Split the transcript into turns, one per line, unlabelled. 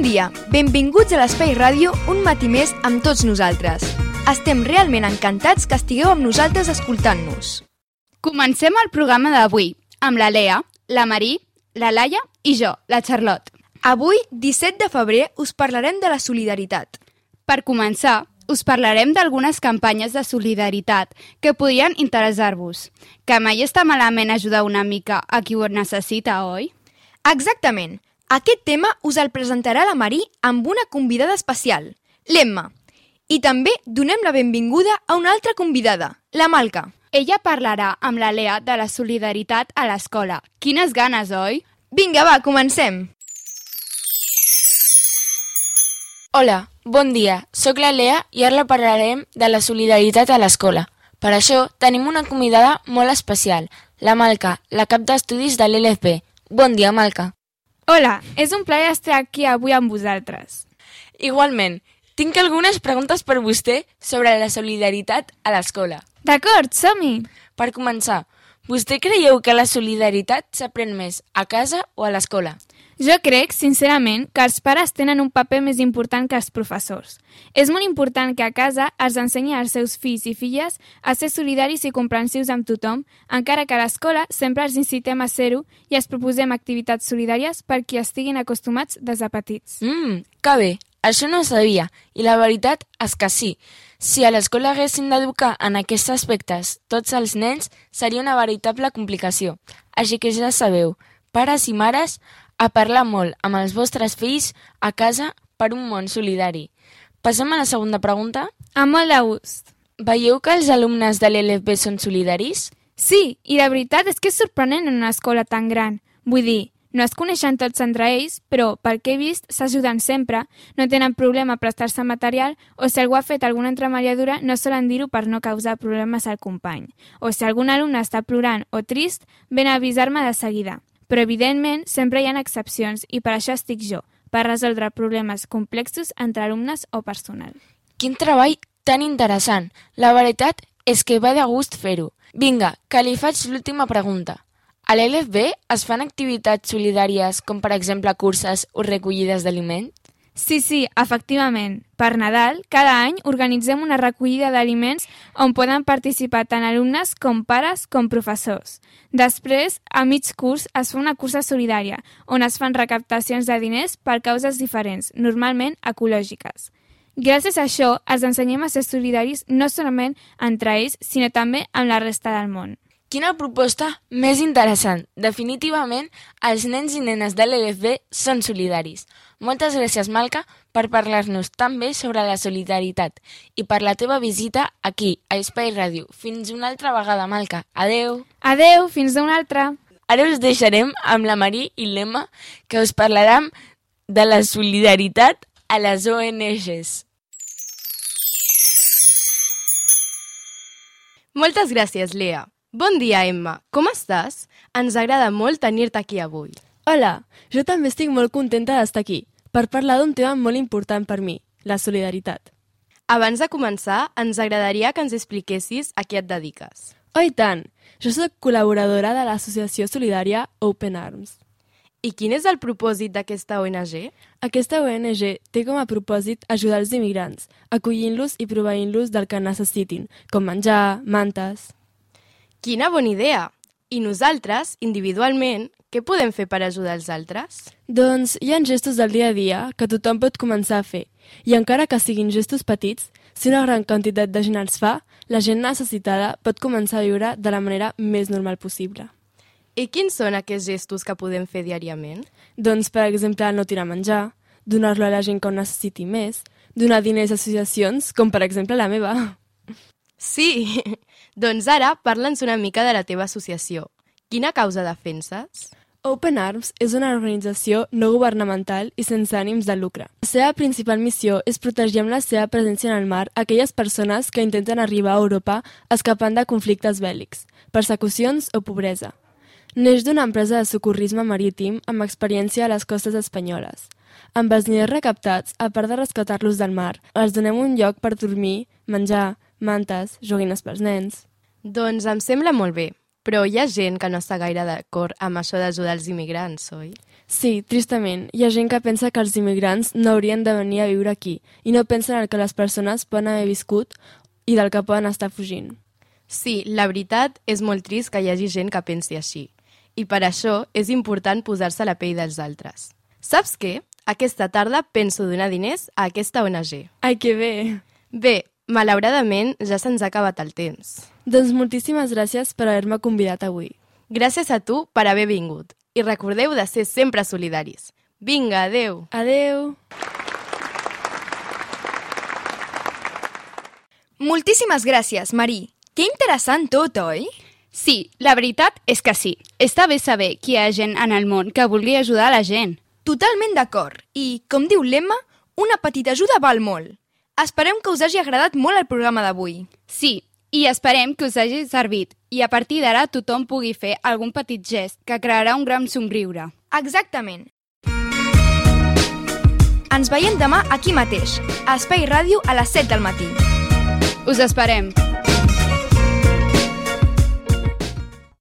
dia, benvinguts a l'Espai Ràdio un matí més amb tots nosaltres. Estem realment encantats que estigueu amb nosaltres escoltant-nos.
Comencem el programa d'avui amb la Lea, la Marí, la Laia i jo, la Charlotte.
Avui, 17 de febrer, us parlarem de la solidaritat.
Per començar, us parlarem d'algunes campanyes de solidaritat que podrien interessar-vos. Que mai està malament ajudar una mica a qui ho necessita, oi?
Exactament. Aquest tema us el presentarà la Marí amb una convidada especial, l'Emma. I també donem la benvinguda a una altra convidada, la Malca.
Ella parlarà amb la Lea de la solidaritat a l'escola. Quines ganes, oi?
Vinga, va, comencem.
Hola, bon dia. Soc la Lea i ara parlarem de la solidaritat a l'escola. Per això tenim una convidada molt especial, la Malca, la cap d'estudis de l'LFB. Bon dia, Malca.
Hola, és un plaer estar aquí avui amb vosaltres.
Igualment, tinc algunes preguntes per vostè sobre la solidaritat a l'escola.
D'acord, som-hi!
Per començar, vostè creieu que la solidaritat s'aprèn més a casa o a l'escola?
Jo crec, sincerament, que els pares tenen un paper més important que els professors. És molt important que a casa es ensenyi als seus fills i filles a ser solidaris i comprensius amb tothom, encara que a l'escola sempre els incitem a ser-ho i els proposem activitats solidàries perquè estiguin acostumats des de petits.
Que bé! Això no ho sabia, i la veritat és que sí. Si a l'escola haguessin d'educar en aquests aspectes tots els nens, seria una veritable complicació. Així que ja sabeu, pares i mares, a parlar molt amb els vostres fills a casa per un món solidari. Passem a la segona pregunta.
Amb molt de gust.
Veieu que els alumnes de l'LFB són solidaris?
Sí, i la veritat és que és sorprenent en una escola tan gran. Vull dir, no es coneixen tots entre ells, però, pel que he vist, s'ajuden sempre, no tenen problema a prestar-se material, o si algú ha fet alguna entremaliadura, no solen dir-ho per no causar problemes al company. O si algun alumne està plorant o trist, ven a avisar-me de seguida. Però, evidentment, sempre hi ha excepcions, i per això estic jo, per resoldre problemes complexos entre alumnes o personal.
Quin treball tan interessant! La veritat és que va de gust fer-ho. Vinga, que li faig l'última pregunta. A l'LFB es fan activitats solidàries com, per exemple, curses o recollides d'aliments?
Sí, efectivament. Per Nadal, cada any organitzem una recollida d'aliments on poden participar tant alumnes com pares com professors. Després, a mig curs, es fa una cursa solidària, on es fan recaptacions de diners per causes diferents, normalment ecològiques. Gràcies a això, els ensenyem a ser solidaris no solament entre ells, sinó també amb la resta del món.
Quina proposta més interessant! Definitivament, els nens i nenes de l'LFB són solidaris. Moltes gràcies, Malca, per parlar-nos tan bé sobre la solidaritat i per la teva visita aquí, a Espai Ràdio. Fins una altra vegada, Malca. Adeu!
Adeu, fins una altra!
Ara us deixarem amb la Marí i l'Emma, que us parlaran de la solidaritat a les ONGs.
Moltes gràcies, Lea. Bon dia, Emma. Com estàs? Ens agrada molt tenir-te aquí avui.
Hola, jo també estic molt contenta d'estar aquí, per parlar d'un tema molt important per mi, la solidaritat.
Abans de començar, ens agradaria que ens expliquessis a què et dediques.
Oh, i tant! Jo soc col·laboradora de l'associació solidària Open Arms.
I quin és el propòsit d'aquesta ONG?
Aquesta ONG té com a propòsit ajudar els immigrants, acollint-los i proveint-los del que necessitin, com menjar, mantes...
Quina bona idea! I nosaltres, individualment, què podem fer per ajudar els altres?
Doncs hi ha gestos del dia a dia que tothom pot començar a fer. I encara que siguin gestos petits, si una gran quantitat de gent els fa, la gent necessitada pot començar a viure de la manera més normal possible.
I quins són aquests gestos que podem fer diàriament?
Doncs, per exemple, no tirar menjar, donar-lo a la gent que ho necessiti més, donar diners a associacions, com per exemple la meva.
Sí! Doncs ara parla'ns una mica de la teva associació. Quina causa defenses?
Open Arms és una organització no governamental i sense ànims de lucre. La seva principal missió és protegir amb la seva presència en el mar aquelles persones que intenten arribar a Europa escapant de conflictes bèl·lics, persecucions o pobresa. Neix d'una empresa de socorrisme marítim amb experiència a les costes espanyoles. Amb els diners recaptats, a part de rescatar-los del mar, els donem un lloc per dormir, menjar, mantes, joguines pels nens...
Doncs em sembla molt bé. Però hi ha gent que no està gaire d'acord amb això d'ajudar els immigrants, oi?
Sí, tristament, hi ha gent que pensa que els immigrants no haurien de venir a viure aquí i no pensen en el que les persones poden haver viscut i del que poden estar fugint.
Sí, la veritat és molt trist que hi hagi gent que pensi així. I per això és important posar-se a la pell dels altres. Saps què? Aquesta tarda penso donar diners a aquesta ONG.
Ai, que bé!
Bé, malauradament ja se'ns ha acabat el temps.
Doncs moltíssimes gràcies per haver-me convidat avui.
Gràcies a tu per haver vingut. I recordeu de ser sempre solidaris. Vinga, adeu!
Adeu!
Moltíssimes gràcies, Marí. Que interessant tot, oi?
Sí, la veritat és que sí. Està bé saber que hi ha gent en el món que vulgui ajudar a la gent.
Totalment d'acord. I, com diu l'Emma, una petita ajuda val molt. Esperem que us hagi agradat molt el programa d'avui.
Sí, i esperem que us hagi servit i a partir d'ara tothom pugui fer algun petit gest que crearà un gran somriure.
Exactament. Ens veiem demà aquí mateix, a Espai Ràdio a les 7 del matí.
Us esperem!